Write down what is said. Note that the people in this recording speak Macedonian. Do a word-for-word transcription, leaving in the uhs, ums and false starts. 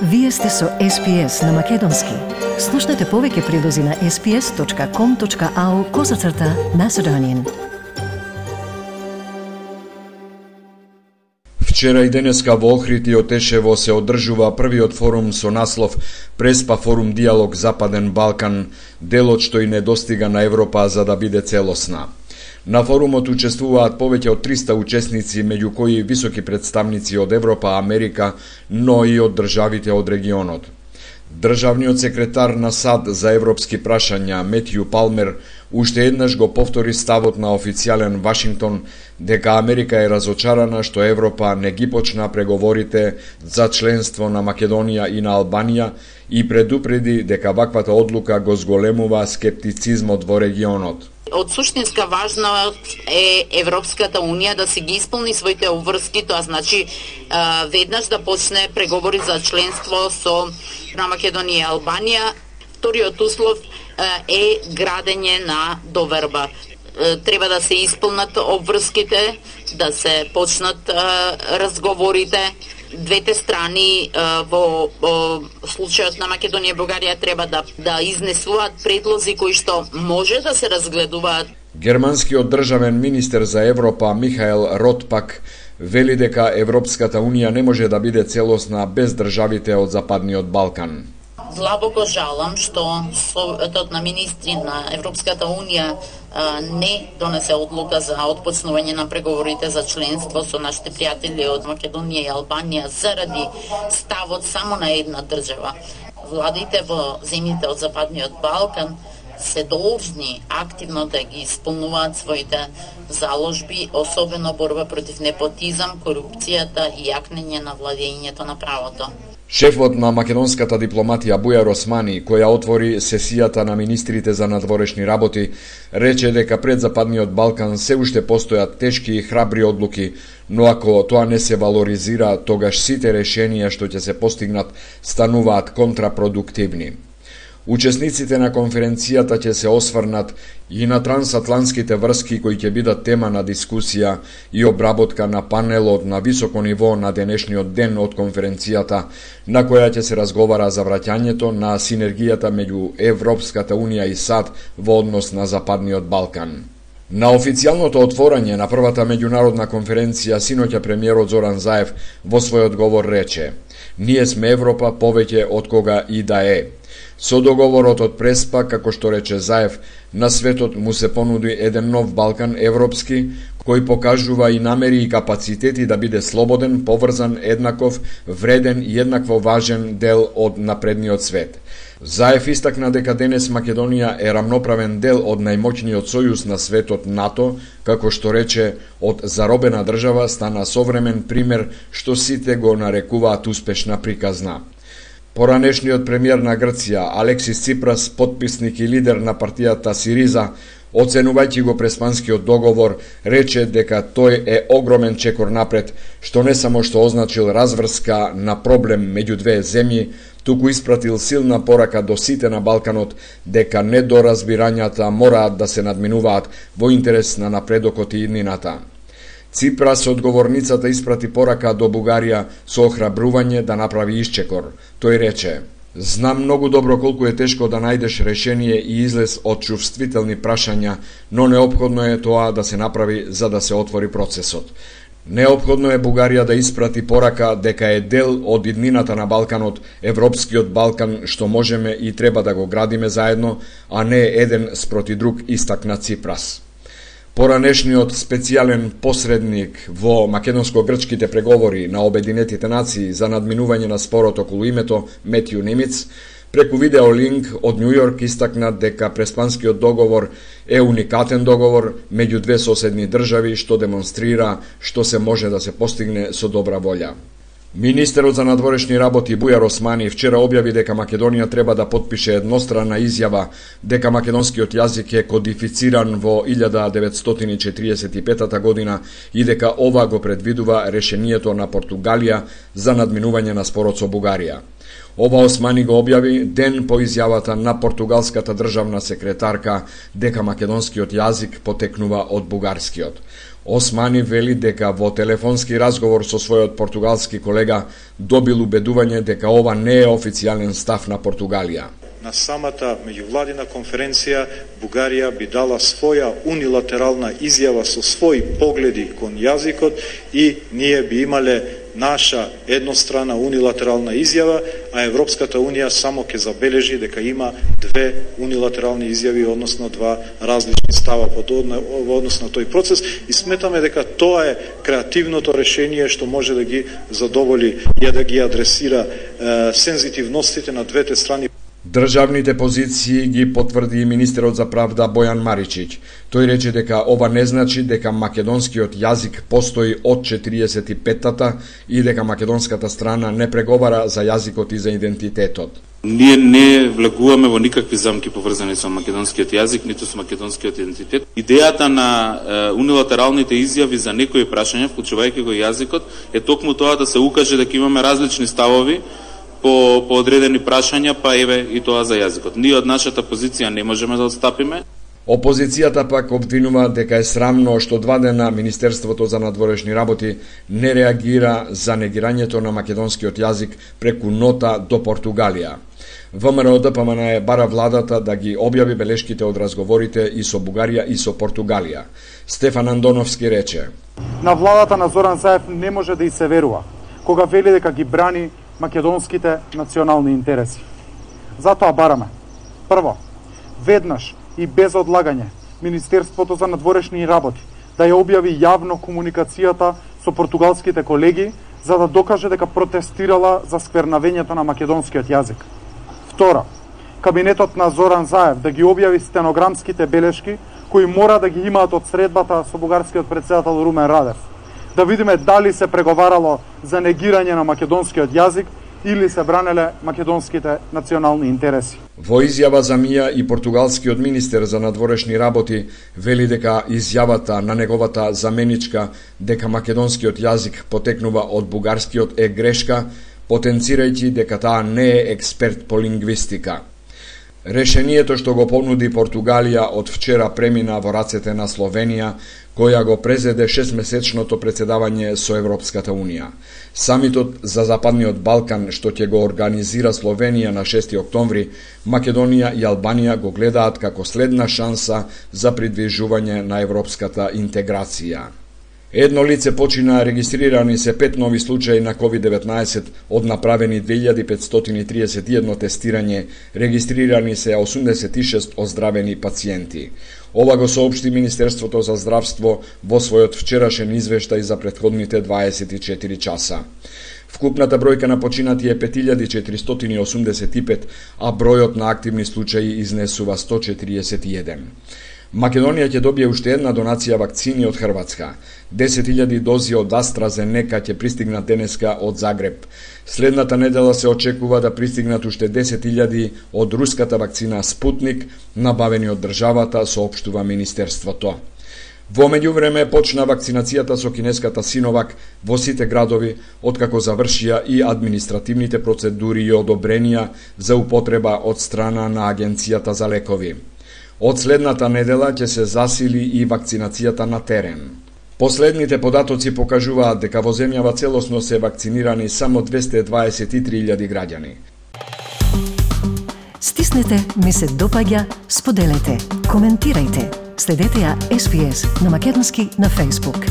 Вие сте со Ес Пи Ес на Македонски. Слушнете повеќе прилози на ес пи ес точка ком точка ау козацрта Macedonian. Вчера и денеска во Охрид и Отешево се одржува првиот форум со наслов Преспа форум диалог Западен Балкан, делот што и не достига на Европа за да биде целосна. На форумот учествуваат повеќе од триста учесници, меѓу кои високи представници од Европа, Америка, но и од државите од регионот. Државниот секретар на САД за европски прашања Метју Палмер уште еднаш го повтори ставот на официјален Вашингтон дека Америка е разочарана што Европа не ги почна преговорите за членство на Македонија и на Албанија и предупреди дека ваквата одлука го зголемува скептицизмот во регионот. Од суштинска важност е Европската Унија да си ги исполни своите обврски, тоа значи веднаш да почне преговори за членство со на Македонија и Албанија. Вториот услов е градење на доверба. Треба да се исполнат обврските, да се почнат разговорите. Двете страни во, во случајот на Македонија и Бугарија треба да, да изнесуваат предлози кои што може да се разгледуваат. Германскиот државен министер за Европа Михаел Ротпак вели дека Европската Унија не може да биде целосна без државите од Западниот Балкан. Длабоко жалам што Советот на министри на Европската Унија не донесе одлука за отпочнување на преговорите за членство со нашите пријатели од Македонија и Албанија заради ставот само на една држава. Владите во земјите од Западниот Балкан се должни активно да ги исполнуваат своите заложби, особено борба против непотизам, корупцијата и јакнење на владењето на правото. Шефот на македонската дипломатија Бујар Османи, која отвори сесијата на министрите за надворешни работи, рече дека пред Западниот Балкан се уште постојат тешки и храбри одлуки, но ако тоа не се валоризира, тогаш сите решенија што ќе се постигнат стануваат контрапродуктивни. Учесниците на конференцијата ќе се осврнат и на трансатлантските врски кои ќе бидат тема на дискусија и обработка на панелот на високо ниво на денешниот ден од конференцијата, на која ќе се разговара за враќањето на синергијата меѓу Европската Унија и САД во однос на Западниот Балкан. На официјалното отворање на првата меѓународна конференција синоќа премиерот Зоран Заев во својот говор рече: "Ние сме Европа повеќе од кога и да е." Со договорот од Преспа, како што рече Заев, на светот му се понуди еден нов Балкан европски, кој покажува и намери и капацитети да биде слободен, поврзан, еднаков, вреден и еднакво важен дел од напредниот свет. Заев истакна дека денес Македонија е рамноправен дел од најмоќниот сојуз на светот НАТО, како што рече, од заробена држава стана современ пример што сите го нарекуваат успешна приказна. Поранешниот премиер на Грција, Алексис Ципрас, потписник и лидер на партијата Сириза, оценувајќи го Преспанскиот договор, рече дека тој е огромен чекор напред, што не само што означил разврска на проблем меѓу две земји, туку испратил силна порака до сите на Балканот дека недоразбирањата мораат да се надминуваат во интерес на напредокот и иднината. Ципрас од говорницата испрати порака до Бугарија со охрабрување да направи исчекор. Тој рече: "Знам многу добро колку е тешко да најдеш решение и излез од чувствителни прашања, но неопходно е тоа да се направи за да се отвори процесот. Неопходно е Бугарија да испрати порака дека е дел од иднината на Балканот, Европскиот Балкан, што можеме и треба да го градиме заедно, а не еден спроти друг", истакна Ципрас. Поранешниот специјален посредник во македонско-грчките преговори на Обединетите нации за надминување на спорот околу името Метју Нимиц, преку видеолинк од Њу Јорк истакна дека Преспанскиот договор е уникатен договор меѓу две соседни држави што демонстрира што се може да се постигне со добра волја. Министерот за надворешни работи Бујар Османи вчера објави дека Македонија треба да потпише едностранна изјава дека македонскиот јазик е кодифициран во илјада деветстотини и четиридесет и петата година и дека ова го предвидува решението на Португалија за надминување на спорот со Бугарија. Ова Османи го објави ден по изјавата на португалската државна секретарка дека македонскиот јазик потекнува од бугарскиот. Османи вели дека во телефонски разговор со својот португалски колега добил убедување дека ова не е официјален став на Португалија. На самата меѓувладина конференција Бугарија би дала своја унилатерална изјава со своји погледи кон јазикот и ние би имале наша еднострана унилатерална изјава, а Европската унија само ќе забележи дека има две унилатерални изјави, односно два различни става во однос на тој процес, и сметаме дека тоа е креативното решение што може да ги задоволи и да ги адресира е, сензитивностите на двете страни. Државните позиции ги потврди и министерот за правда Бојан Маричиќ. Тој рече дека ова не значи дека македонскиот јазик постои од четириесет и петтата и дека македонската страна не преговара за јазикот и за идентитетот. Ние не влегуваме во никакви замки поврзани со македонскиот јазик, ниту со македонскиот идентитет. Идејата на е, унилатералните изјави за некои прашања, вклучувајќи го јазикот, е токму тоа да се укаже дека имаме различни ставови по, по одредени прашања, па еве и тоа за јазикот. Ние од нашата позиција не можеме да отстапиме. Опозицијата пак обвинува дека е срамно што два дена Министерството за надворешни работи не реагира за негирањето на македонскиот јазик преку нота до Португалија. ВМРО Д П М Н бара владата да ги објави белешките од разговорите и со Бугарија и со Португалија. Стефан Андоновски рече: На владата на Зоран Заев не може да и се верува кога вели дека ги брани македонските национални интереси. Затоа бараме: прво, веднаш и без одлагање Министерството за надворешни работи да ја објави јавно комуникацијата со португалските колеги за да докаже дека протестирала за сквернавењето на македонскиот јазик. Второ, кабинетот на Зоран Заев да ги објави стенограмските белешки кои мора да ги имаат од средбата со бугарскиот претседател Румен Радев. Да видиме дали се преговарало за негирање на македонскиот јазик или се бранеле македонските национални интереси. Во изјава за МИА и португалскиот министер за надворешни работи вели дека изјавата на неговата заменичка дека македонскиот јазик потекнува од бугарскиот е грешка, потенцирајќи дека таа не е експерт по лингвистика. Решението што го понуди Португалија од вчера премина во рацете на Словенија, која го презеде шестмесечното претседавање со Европската Унија. Самитот за Западниот Балкан што ќе го организира Словенија на шести октомври, Македонија и Албанија го гледаат како следна шанса за придвижување на европската интеграција. Едно лице почина, регистрирани се пет нови случаи на ковид деветнаесет од направени две илјади петстотини и триесет и едно тестирање, регистрирани се осумдесет и шест оздравени пациенти. Ова го соопшти Министерството за здравство во својот вчерашен извештај за претходните дваесет и четири часа. Вкупната бројка на починати е пет илјади четиристотини и осумдесет и пет, а бројот на активни случаи изнесува сто четириесет и еден. Македонија ќе добие уште една донација вакцини од Хрватска. десет илјади дози од AstraZeneca ќе пристигнат денеска од Загреб. Следната недела се очекува да пристигнат уште десет илјади од руската вакцина Спутник, набавени од државата, соопштува Министерството. Во меѓувреме почна вакцинацијата со кинеската Синовак во сите градови, откако завршија и административните процедури и одобренија за употреба од страна на Агенцијата за лекови. Од следната недела ќе се засили и вакцинацијата на терен. Последните податоци покажуваат дека во земјава целосно се вакцинирани само двесте дваесет и три илјади граѓани. Стиснете, ми се допаѓа, споделете, коментирајте. Следете ја Ес Би Ес на македонски на Facebook.